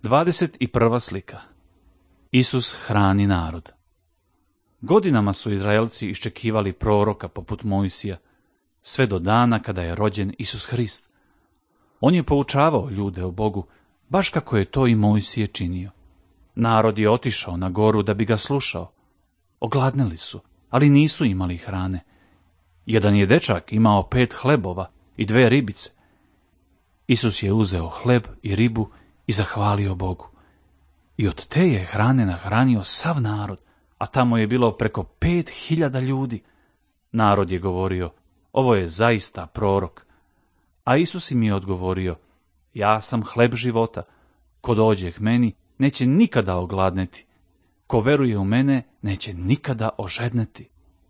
21. slika. Isus hrani narod. Godinama su Izraelci iščekivali proroka poput Mojsija, sve do dana kada je rođen Isus Hrist. On je poučavao ljude o Bogu, baš kako je to i Mojsije činio. Narod je otišao na goru da bi ga slušao. Ogladneli su, ali nisu imali hrane. Jedan je dečak imao 5 hlebova i 2 ribice. Isus je uzeo hleb i ribu i zahvalio Bogu. I od te je hrane nahranio sav narod, a tamo je bilo preko 5.000 ljudi. Narod je govorio, ovo je zaista prorok. A Isus im je odgovorio, ja sam hleb života. Ko dođe k meni, neće nikada ogladneti. Ko veruje u mene, neće nikada ožedneti.